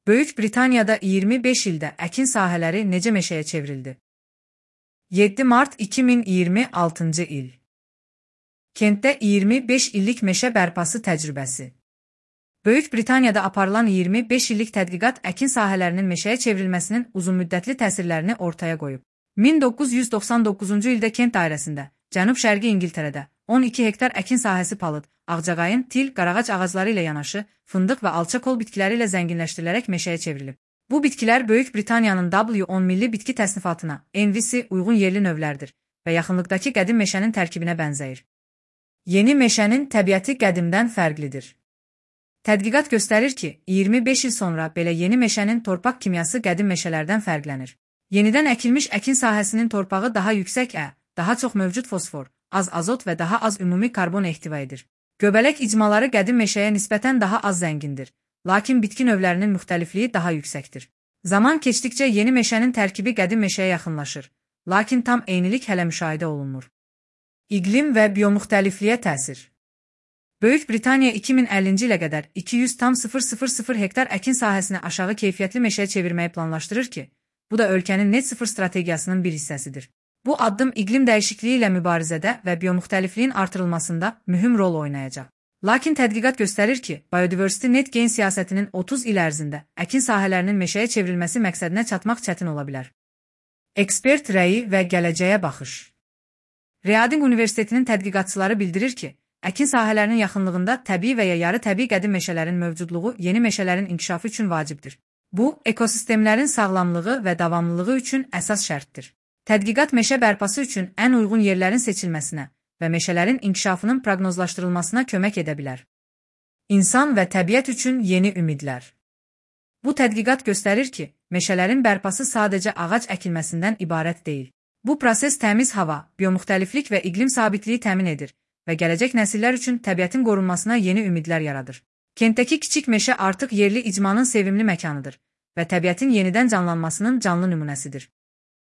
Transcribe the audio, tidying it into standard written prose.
Böyük Britaniyada 25 ildə əkin sahələri necə meşəyə çevrildi? 7 mart 2026 il. Kentdə 25 illik meşə bərpası təcrübəsi. Böyük Britaniyada aparılan 25 illik tədqiqat əkin sahələrinin meşəyə çevrilməsinin uzunmüddətli təsirlərini ortaya qoyub. 1999-cu ildə Kent dairəsində, Cənub-Şərqi İngiltərədə 12 hektar əkin sahəsi palıd, ağcaqayın, til, qarağac ağacları ilə yanaşı, fındıq və alça kol bitkiləri ilə zənginləşdirilərək meşəyə çevrilib. Bu bitkilər Böyük Britaniyanın W10 milli bitki təsnifatına, NVC, uyğun yerli növlərdir və yaxınlıqdakı qədim meşənin tərkibinə bənzəyir. Yeni meşənin təbiəti qədimdən fərqlidir. Tədqiqat göstərir ki, 25 il sonra belə yeni meşənin torpaq kimyası qədim meşələrdən fərqlənir. Yenidən əkilmiş əkin sahəsinin torpağı daha yüksək daha çox mövcud fosfor, az azot və daha az ümumi karbon ehtiva edir. Göbələk icmaları qədim meşəyə nisbətən daha az zəngindir, lakin bitki növlərinin müxtəlifliyi daha yüksəkdir. Zaman keçdikcə yeni meşənin tərkibi qədim meşəyə yaxınlaşır, lakin tam eynilik hələ müşahidə olunmur. İqlim və biomüxtəlifliyə təsir. Böyük Britaniya 2050-ci ilə qədər 200,000 hektar əkin sahəsini aşağı keyfiyyətli meşəyə çevirməyi planlaşdırır ki, bu da ölkənin net sıfır strategiyasının bir hissəsidir. Bu addım iqlim dəyişikliyi ilə mübarizədə və biomüxtəlifliyin artırılmasında mühüm rol oynayacaq. Lakin tədqiqat göstərir ki, Biodiversity Net Gain siyasətinin 30 il ərzində əkin sahələrinin meşəyə çevrilməsi məqsədinə çatmaq çətin ola bilər. Ekspert rəyi və gələcəyə baxış. Reading Universitetinin tədqiqatçıları bildirir ki, əkin sahələrinin yaxınlığında təbii və ya yarı təbii qədim meşələrin mövcudluğu yeni meşələrin inkişafı üçün vacibdir. Bu, ekosistemlərin sağlamlığı və davamlılığı üçün əsas şərtdir. Tədqiqat meşə bərpası üçün ən uyğun yerlərin seçilməsinə və meşələrin inkişafının proqnozlaşdırılmasına kömək edə bilər. İnsan və təbiət üçün yeni ümidlər. Bu tədqiqat göstərir ki, meşələrin bərpası sadəcə ağac əkilməsindən ibarət deyil. Bu proses təmiz hava, biomüxtəliflik və iqlim sabitliyi təmin edir və gələcək nəsillər üçün təbiətin qorunmasına yeni ümidlər yaradır. Kentdəki kiçik meşə artıq yerli icmanın sevimli məkanıdır və təbiətin yenidən canlanmasının canlı nümunəsidir.